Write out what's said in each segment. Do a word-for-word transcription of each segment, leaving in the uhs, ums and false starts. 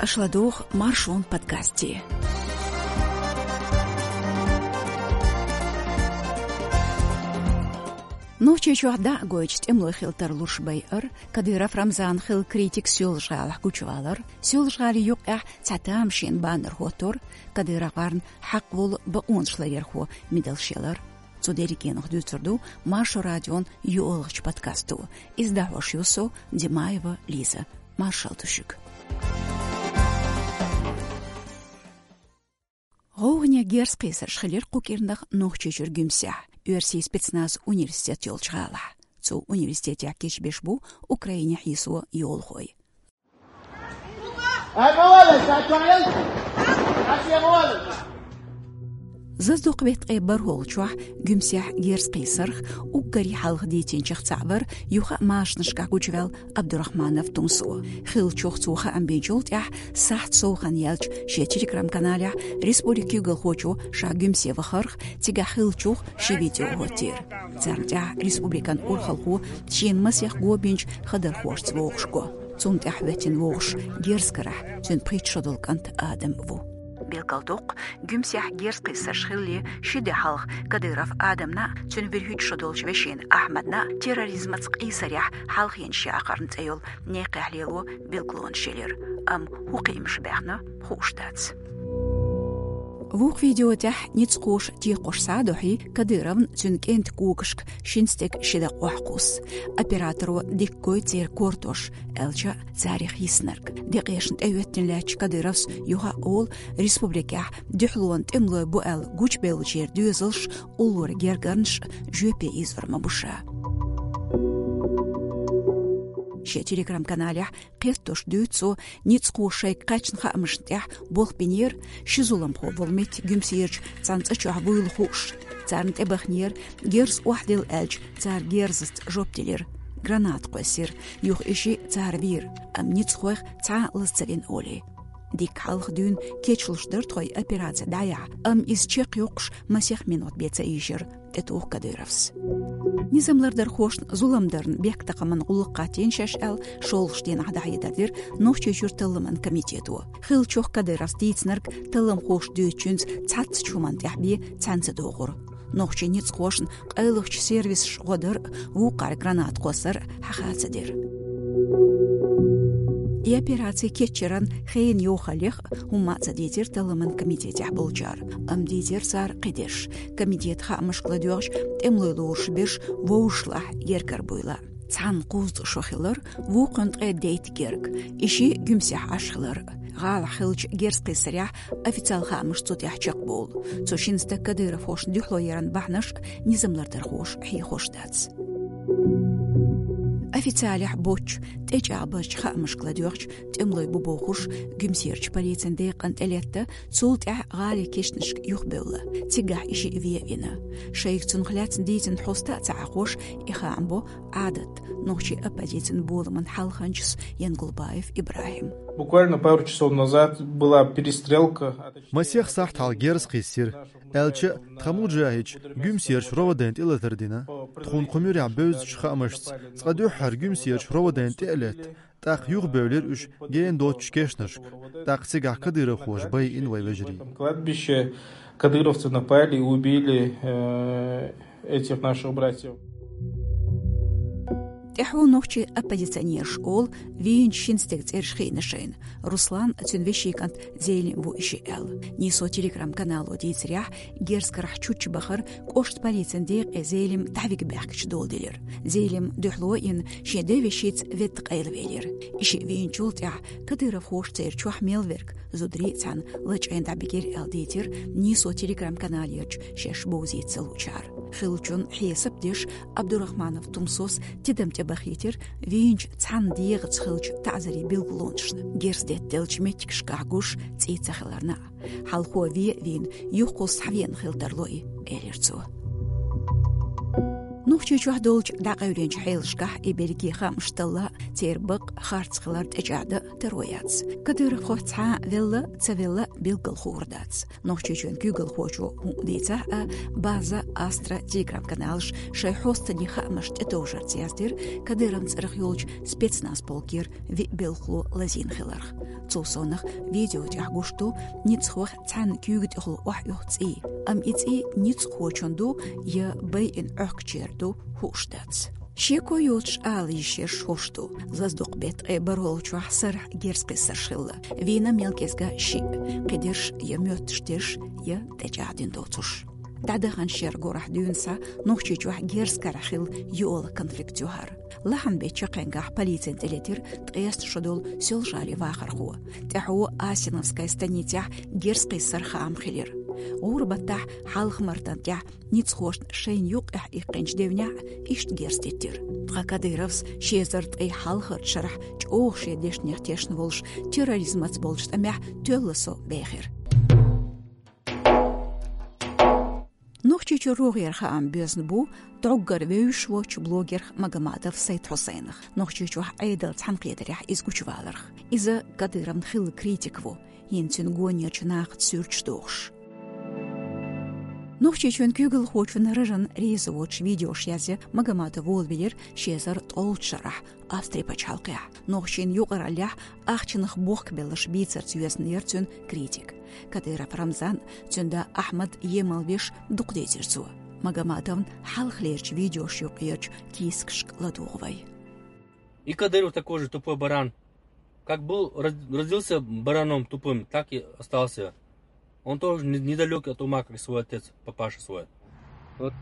Аша ладугӀу Маршон подкасте. Нохчийчохь дӀа а гойтуш тӀемалой хила тарлуш байар, Кадыров Рамзан хилла критик Соьлжа-ГӀалахь гучувалар, Соьлжа-ГӀалин юккъехь цхьа тамашийна баннер хӀоттор, Кадыровгара хьакъ волу бакъонаш ларъярхо медалш ялар. Цу дерригенах дуьйцур ду Маршо радион йоьалгӀачу подкасто. Иза дӀахьош ю со, Димаева Лиза. Маршалла ду шуьга. ГӀовгӀане герз кхийсарш хилира кху кӀирнах Нохчийчуьра Гуьмсехь, оьрсийн спецназ университет йолчу гӀалахь. Цу университетехь кечбеш бу Украинехь йисо йолахой. Зазадоккху беттан ткъе бархӀолгӀачохь Гуьмсехь герз кхийсарх уггаре хьалха дийцинчех цхьаъ вара юха а машанашкахь гучуваьлла Абдурахманов Тумсо. Хиллачух цо хаам бинчул тӀаьхьа сахьт сов хан яьлча шен телеграм-каналехь республикан куьйгалхочо ша Гуьмсе вахарх, цигахь хиллачух ши видео хӀоттийра. Царна тӀехь республикан урхалхо шена масех го бинчу хадархошца вовшахго. Цунна тӀехь хӀоьттина вовшахкарахь цуьнан пхийтта шо долу кӀант Адам ву. Билгалдоккху, Гуьмсехь герз кхийсарш хиллале ши де хьалха Кадыров Адамна а, цуьнан вуьрхӀитта шо долчу вешина Ахьмадна а терроризмаца къийсарехь хьалхенаш яхарна цӀе йолу некъехь лело билгалонаш елира, амма хӀун кхиамаш баьхна, хууш дац. Вукху видео тӀехь ницкъахоша текхош схьа а дохьий, Кадыровн цуьнан кӀентан когашка шина стеган ши дакъа охьакхуссу. Операторо дика гойту церан кортош, аьлча а царах йиснарг. Декъешна тӀехӀоьттина лаьттачу Кадыровс юха а олу, республикехь дуьхьалонан тӀемалой бу аьлла гучубевллачеран доьзалш, уллора гергарнаш жоьпе ийзор ма бу ша. Шен телеграм-каналехь кхетош дуьйцу цо, ницкъахоша шайга кхаьчна хаамашна тӀехь болх бинера, ши зуламхо волу метта Гуьмсерчу цхьана цӀа чохь вуйла хууш. Царна тӀебахнера, герз охьадилла аьлча, цара герзаца жоп делира. Граната кхоьссира, юха и шиъ цара вийра, амма ницкъахойх цхьа а лаза ца вина олий. Дикка хьалха дуьйна кечлуш дара тхо и операци дӀаяхьа, амма иза чекхйоккхуш масех минот бен ца ийшира, тӀетуху Кадыровс. Низам лардархошна зулам дарна бехктакхаман гӀуллакх хӀоттийна шаьш аьлла, шолгӀачу дийнахь дӀахьедар дира Нохчийчуьра талламан комитето. Хиллачух Кадыровс дийцинарг талламхоша дуьйцучуьнца цхьацца чу хӀуманна тӀехь бен цхьаьна ца догӀура. Нохчийн ницкъахошна къайлахчу сервисаша гӀо дар а, вукхара граната кхоссар а хьаха ца дира. И операци кечъяран хенан йохаллех а хӀумма а ца дийцира талламан комитетехь болчара, амма дийцира цара кхидерш. Комитетан хаамашка ладоьгӀча, тӀемалой лоруш берш вовшашлахь гергара буйла. Цхьанна кхузткъа шо хилар, вукхунна ткъе дейтта герга, и шиъ Гуьмсехь Ӏаш хилар. ГӀалахь хиллачу герз кхийсарехь официалан хаамаш цу тӀехь чекхбовлу. Цу шина стага кадыровхошна дуьхьало яран бахьанаш низам лардархоша хьехош дац. Официалехь боцчу, тӀечӀагӀбарчу хаамашка ладоьгӀча, тӀемалой бу бохуш, Гуьмсерчу полицин декъана тӀелетта, цул тӀаьхьа гӀалин кешнашка юхабевлла. Цигахь и шиъ вен вина. Шайга цунах лаьцна дийцина хьоста а ца Ӏахош, и хаам бо Ӏадат, нохчийн оппозицин боламан хьалханчас Янгулбаев ИбрахӀим. Буквально пару часов назад была перестрелка. Масех сахьт хьалха герз кхиссира, аьлча а, тхан муджахӀидаш Гуьмсерчу РОВД-н тӀелатар дина. Тхуна кху муьрехь бевзачу хаамашца, цкъа дуьххьара Гуьмсерчу РОВД-н тӀе а летта, тӀаккха юхабевлира уьш гена доцучу кешнашка, тӀаккха цигахь кадыровхоша байина вайн вежарий. Кладбище, кадыровцы напали и убили, э, этих наших братьев. ТӀаьхьо нохчийн оппозиционераш олу, вийначу шина стеган цӀераш хиъна шайна. Руслан а, цуьнан вешин кӀант Зелим ву и шиъ аьлла. Нийсо телеграм-канало дийцарехь, герз карахь чучча бахар кӀоштан полицин декъе Зелим дӀавига баьхкича доладелира. Зелим дуьхьало а йина, шен девешица ведда къайлавелира. И шиъ вийначул тӀаьхьа кадыровхоша церан чохь мел верг зударий а цхьаьна лачкъийна дӀабигира аьлла дийцира Нийсо телеграм-каналерчу шаьш бовзийта ца луучара. Хиллачун хьесап деш, Абдурахманов Тумсос тидам тӀебахийтира вийначу цхьана дегӀаца хиллачу таӀзарийн билгалонашна, герз деттаделлачу меттигашкахь гуш цӀий ца хиларна а. Хьалхо вен а вийна, юхакхуссу схьавеана хила тарло и, элира цо. Ну, Нохчийчохь долчу дӀакъевлинчу хьелашкахь и берриге хаамаш талла, церан бакъ харц хилар тӀечӀагӀдан таро яц. Кадыровхо цхьа велла, ца велла билггал хуур дац. Нохчийчоьнан куьйгалхочо хӀун дийцахь а, база Астра Telegram-каналаш шайн хьостанийн хаамаш тӀетовжарца яздира Кадыровн цӀарах йолчу спецназ полкера виъ белхало лазийна хиларх. Цул совнаха видео тӀехь гуш ду ницкъахох цхьана куьйга тӀехула охьаоьху цӀий. Амма и цӀий ницкъахочун ду я байина Ӏохкучеран ду, хууш дац. Шеко йоцуш ала йиш ерш хӀорш ду. Лазадоккху беттан ткъе бархӀолгӀачохь сарахь герз кхиссарш хилла. Вийна мел кӀезга шиъ, кхидерш я моьттуш дерш, я тӀечӀагӀдина доцуш. ДӀадаханчу шеран горахь дуьйна схьа Нохчийчохь герз карахь хилла йоьалгӀа конфликт ю хӀара. Лахьанбеттан чаккхенгахь полицина тӀелетира ткъеста шо долу Соьлжа-ГӀалин вахархо. ТӀаьхьо Асиновская станицехь герз кхиссаран хаам хилира. ГӀуран баттахь Хьалха-Мартан тӀехь ницкъахошна шайна юккъехь иккхинчу девнехь а иштта герз диттира. Ткъа Кадыровс ши эзар ткъе хьалхарчу шарахь чӀогӀа шен дешнех тешна волуш, терроризмаца болчу тӀамехь тоьлла со бехира. Нохчийчуьра рогӀера хаам боьзна бу дӀоггара вевзаш воцчу блогерх Магомадов Сайд-Хьусайнах. Нохчийчохь Ӏедалан цхьаьнакхетарехь иза гучуваларх. Иза Кадыровн хилла критик ву, хӀинца цуьнан гонерчу нахаца суьрташ дохуш. Нохчийчоьнан куьйгалхочун рожана реза воцуш видеош язъян Магомадов волавелира ши эзар ткъолгӀачу шарахь Австрин пачхьалкхехь. Нохчийн юкъараллехь ахчанах бохкабелларш бийцарца йоьзна яра цуьнан критика. Кадыров Рамзан, цуьнан да Ахьмад емал веш дукха дийцира цо. Магомадовн хьалхалерчу видеош юккъерчу кийсакашка ладугӀу вай. И Кадыров такой же тупой баран. Как был, род-, родился бараном тупым, так и остался. Он тоже не-, недалёк от ума, как свой отец, папаша свой. Вот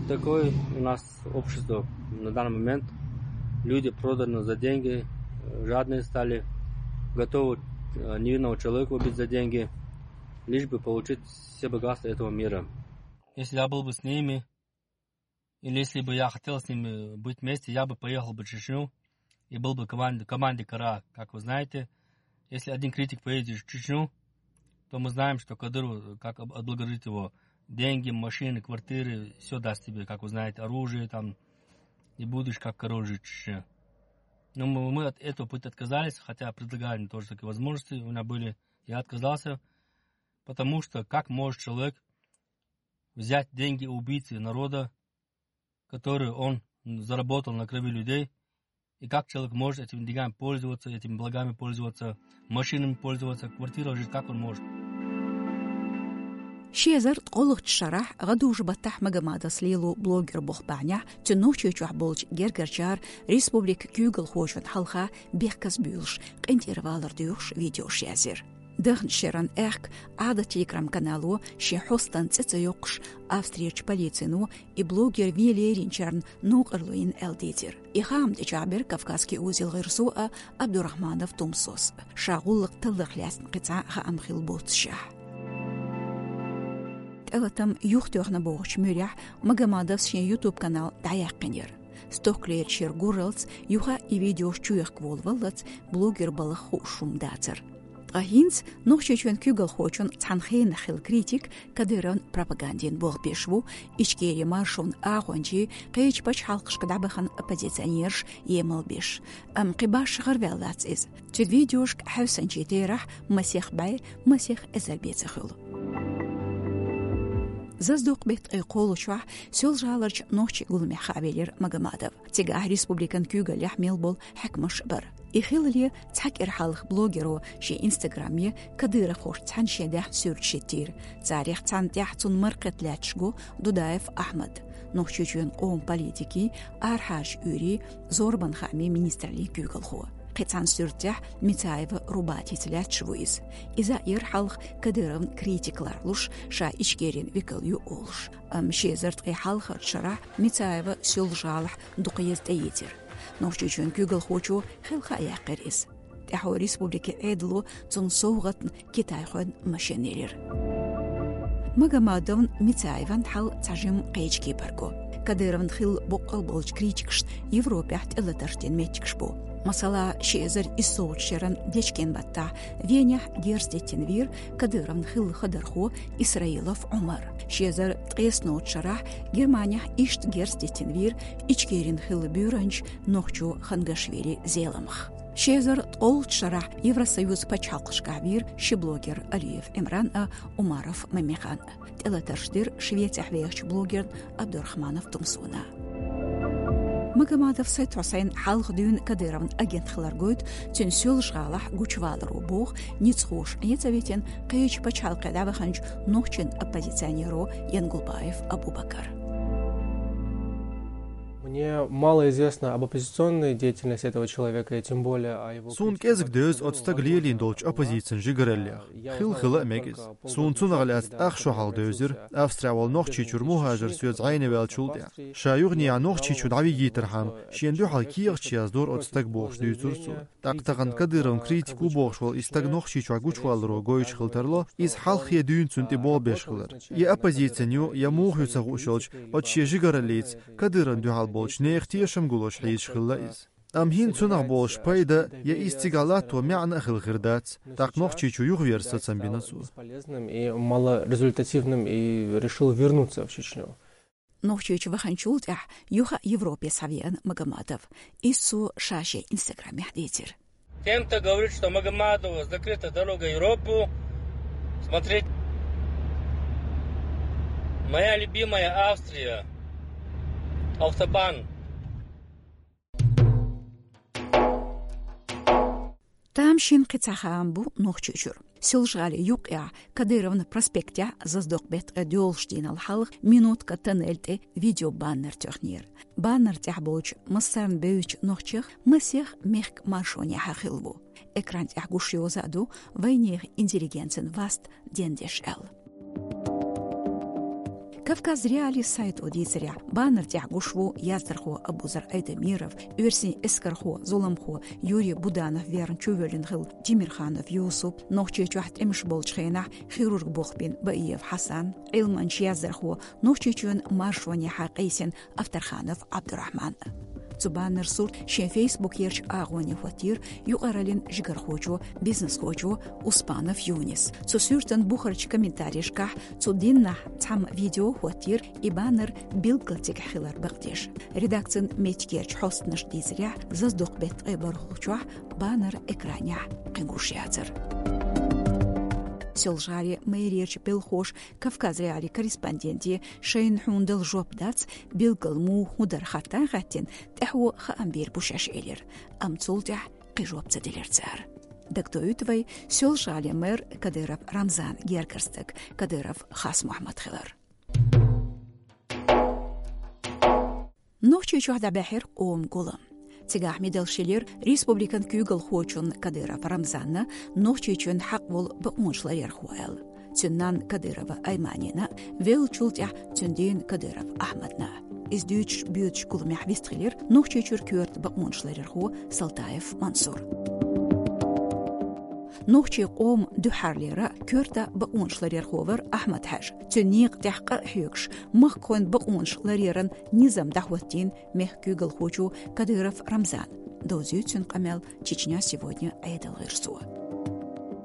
такое у нас общество на данный момент. Люди проданы за деньги, э, жадные стали, готовы, э, невинного человека убить за деньги, лишь бы получить все богатства этого мира. Если я был бы с ними, или если бы я хотел с ними быть вместе, я бы поехал бы в Чечню и был бы команде, команде Кара. Как вы знаете, если один критик поедет в Чечню, то мы знаем, что Кадыров, как об-, отблагодарит его, деньги, машины, квартиры, все даст тебе, как вы знаете, оружие там, и будешь как король жить в Чечне. Но мы, мы от этого пути отказались, хотя предлагали мне тоже такие возможности, у меня были, я отказался, потому что как может человек взять деньги убийцы народа, который он заработал на крови людей, и как человек может этими деньгами пользоваться, этими благами пользоваться, машинами пользоваться, квартира жить, как он может? Ши эзар ткъолгӀачу шарахь гӀадужу баттахь Магомадовс лело блогер боху бахьанехь, цуьнан Нохчийчохь болчу гергарчара республикан куьйгалхочун хьалха бехказбуьйлуш, къинтӀера валар доьхуш видеош язйира. Дахначу шеран аьхка Ӏадат Telegram-канало шен хьостанан цӀе ца йоккхуш, Австрерчу полицино и блогер вен леринчарна новкъарло йина аьлла дийцира. И хаам тӀечӀагӀбира Кавказский узел гӀирсо а, Абдурахманов Тумсос а, ша гӀуллакх талларх лаьцна кхин цхьа а хаам хилла боццушехь. ТӀелатам юхатоьхна бохучу муьрехь Магомадовс шен YouTube-канал дӀаяьккхинера. Стохкалерчу шеран гуралц юха и видеош чуехка волаваллалц блогер балха хууш хӀума дацара. Ткъа хӀинца Нохчийчоьнан куьйгалхочун цхьана хенах хилла критик Кадыровн пропагандина болх беш ву, Ичкерин маршонан агӀончий, кхечу пачхьалкхашка дӀабахана оппозиционераш емал беш. Амма кхин башха гӀараваьллац иза. Цуьнан видеошка хьаьвсанчийн терахь масех бӀе, масех эзар бен ца хуьлу. Зазадоккху беттан ткъе кхоалгӀачохь Соьлжа-ГӀаларчу нохчийн гуламехь хаавелира Магомадов. Цигахь республикан куьйгаллехь мел болу хьаькамаш а бара. И хилале цхьа кӀира хьалха блогеро шен Instagram-е кадыровхошца цхьаьна шен даьхна суьрташ хӀиттийра. Царех цхьанна тӀехь цунна мара кхетта лаьтташ го Дудаев Ахьмад, Нохчийчоьнан къоман политикийн, арахьарчу уьйрийн, зорбанан хаамийн министраллин куьйгалхо. Кхин цхьана суьртехь Мицаева Рубатица лаьтташ ву иза. Иза а яра хьалха Кадыровн критика ларлуш, ша Ичкерин векал ю олуш. Амма ши эзар ткъе хьалхарчу шарахь Мицаева Соьлжа-ГӀалахь дукха еза тӀеийцира. Нохчийчоьнан куьйгалхочо хелха а яьккхира иза. ТӀаьхьо республикин Ӏедало цунна совгӀатна китайхойн машина елира. Магомадовн, Мицаеван хьал цхьа жимма кхечу кепара го. Кадыровн хилла боккъал болчу критикашна Европехь тӀелатарш дина меттигаш бу. Масала, ши эзар исс шеран дечкен баттахь Венехь герз деттина вийра Кадыровн хилла хадархо Исраилов Ӏумар. Ши эзар ткъеснолчу шарахь Германехь иштта герз деттина вийра Ичкерин хилла буьйранча нохчо Хангашвили Зеламха. Ши эзар ткъолгӀачу шарахь Евросоюз пачхьалкхашкахь вийра ши блогер: Алиев Ӏимран а, Умаров Мамихан а. ТӀелатарш дира Швецехь вехачу блогерна Абдурахманов Тумсуна. Магомадов Сайд-Хьусайн хьалха дуьйна Кадыровн агент хилар гойту цуьнан Соьлжа-ГӀалахь гучуваларо, боху ницкъахоша Ӏеца а витина кхечу пачхьалкхе дӀаваханчу нохчийн оппозиционеро Янгулбаев Абубакар. Мне мало известно об оппозиционной деятельности этого человека, и тем более о его... Суна кӀезиг девза оцу стага лелийна долчу оппозицин жигараллех. Хилла хила а мега иза. Суна цунах лаьцна ах шо хьалха девзира, Австрехь волу Нохчийчуьра мухӀажар соьца зӀене ваьллачул тӀаьхьа. Ша юханехьа Нохчийчу дӀавигийтархьама, шена дуьхьал кехаташ яздора оцу стага, бохуш дуьйцура цо. ТӀаккха тахана Кадыровн критик ву бохуш волу и стаг Нохчийчохь гучуваларо гойтуш хила тарло, иза хьалххе дуьйна цунна тӀе болх беш хилар. Я оппозицин ю, я муха ю ца хууш йолчу оцу шен жигараллица Кадыровна дуьхьал болчу нехан тешам гулош хьийзаш хилла иза. Амма хӀинца цунах болуш пайда я иза цигахь латто маьӀна а хила хир дац, тӀаккха Нохчийчу юхавер сацам бина цо. Бесполезным и малорезультативным, и решил вернуться в Чечню. Нохчийчу ваханчул тӀаьхьа юха Европе схьавеана Магомадов. Иза цо ша шен Инстаграмехь дийцира. Тем, кто говорит, что Магомадову закрыта дорога в Европу, смотреть, моя любимая Австрия, автобан. Тамашийна кхин цхьа хаам бу Нохчийчуьра. Соьлжа-ГӀалин юккъехь, Кадыровн проспектехь, Заздокъ-беттан ткъе доьалгӀачу дийнал хьалха Минутка тоннель тӀе видеобаннер тоьхнера. Баннер тӀехь болчу массарна бевзачу нохчех масех мехкан маршонехьа хилла ву. Экран тӀехь гуш йоза а ду вайнехан интеллигенцин васт дендеш аьлла. Кавказ.Реалии сайто дийцарехь, баннер тӀехь гуш ву яздархо Абузар Айдамиров, оьрсийн эскархо, зуламхо Юрий Буданов верна чувоьллина хилла Тимирханов Юсуп, Нохчийчохь тӀемаш болчу хенахь хирург болх бина Баиев Хьасан, Ӏилманча, яздархо, Нохчийчоьнан маршонехьа къийсина Авторханов Абдурахман. Цу баннеран сурт шен фейсбукерчу агӀоне хӀоттийра юкъараллин жигархочо, бизнесхочо Успанов Юнис. Цу суьртан бухарчу комментарийшкахь цу дийнахь цхьамма видео хӀоттийра и баннер билггал цигахь хилар бакъдеш. Редакцин меттигерчу хьостанаша дийцарехь, Заздокъ-беттан ткъе бархӀалгӀачохь баннер экранехь кхин гуш яцара. Соьлжа-ГӀалин мэрерчу белхахоша Кавказ.Реалии корреспонденте шайна хьуна дала жоп дац, билггал муха хӀун дара хаттар а хаьттина, тӀаьхьо хаам бийр бу шаьш элира, амма цул тӀаьхьа кхин жоп ца делира цара. Дагадоуьйту вай, Соьлжа-ГӀалин мэр Кадыров Рамзанан гергара стаг Кадыров Хасмухьаммад хилар. Нохчийчохь дӀабаьхьира къоман гулам. Цигахь медалш елира республикан куьйгалхочунна Кадыров Рамзанна, Нохчийчоьнан хьакъ волу бакъонаш ларъярхо аьлла. Цуьнан нанна Кадырова Айманина, веллачул тӀаьхьа цуьнан дена Кадыров Ахьмадна. Иза дуьйцуш боьдучу гуламехь вистхилира Нохчийчуьра коьрта бакъонаш ларъярхо Салтаев Мансур. Нохчийн къоман дуьххьарлера коьрта бакъонаш ларъярхо вара Ахьмад-Хьаьжа. Цуьнан некъа тӀехь къа а хьоьгуш, махкахойн бакъонаш ларъяран низам дӀахӀоттийна мехкан куьйгалхочо Кадыров Рамзана. Довзуьйту цуьнан къамел «Чечня сегодня» Ӏедалан гӀирсо.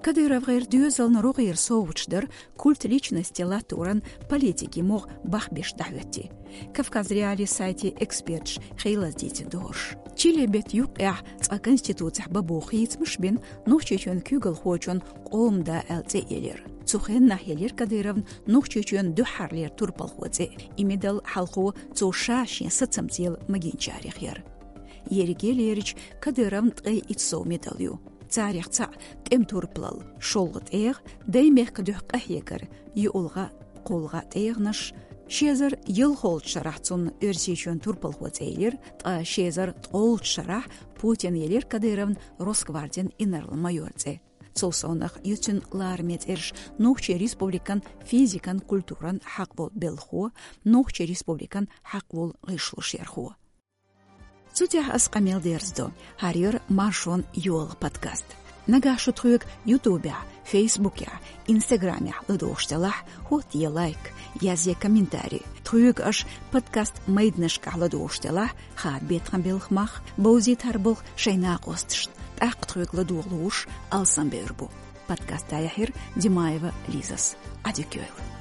КадыровгӀеран доьзална рогӀера совгӀаташ дара культ личности латторан политикийн могӀа бахбеш дӀахӀоьттина. Кавказ.Реалии сайтан эксперташа хейлаза дийцина догӀуш. Чили беттан юккъехь цкъа конституцехь бан боху хийцамаш бина Нохчийчоьнан куьйгалхочунна къоман да аьлла цӀе а елира. Цу хеннахь елира Кадыровна Нохчийчоьнан дуьххьарлера турпалхо цӀе. И медал хьалхо цо ша шен сацамца елла магийначарех яра. Ерриге лерича, Кадыровн ткъе итт сов медал ю. Царех цхьаъ тӀеман турпалалла, шолгӀа тӀегӀа, даймехкан дуьхьа къахьегар, юкъалгӀа, кхоалгӀа тӀегӀанаш. Ши эзар ялхолгӀачу шарахь цунна Оьрсийчоьнан турпалхо цӀе елира, ткъа ши эзар ткъолгӀачу шарахь Путина елира Кадыровна Росгвардин инарла-майор цӀе. Цул совнаха ю цуьнан лараме цӀераш: Нохчийн Республикан физикан, культуран хьакъ волу белхахо, Нохчийн Республикан хьакъ волу гӀишлошъярхо. Цу тӀехь ас къамел дерзадо. ХӀара яра «Маршонан йола» подкаст. Нагахь шу тхоьга Ютубехь, Фейсбукехь, Инстаграмехь ладогӀуш делахь, хӀоттае лайк, язъе комментарий. Кхуьйга аша подкаст майданашкахь ладугӀуш делахь, хадабе тхан белхан мах, бовзийтар болх шайн накъосташна, тӀаккха тхоьга ладогӀалуш алсамбевр бу. Подкаста яхьира Димаева Лизас. Ӏадика йойла.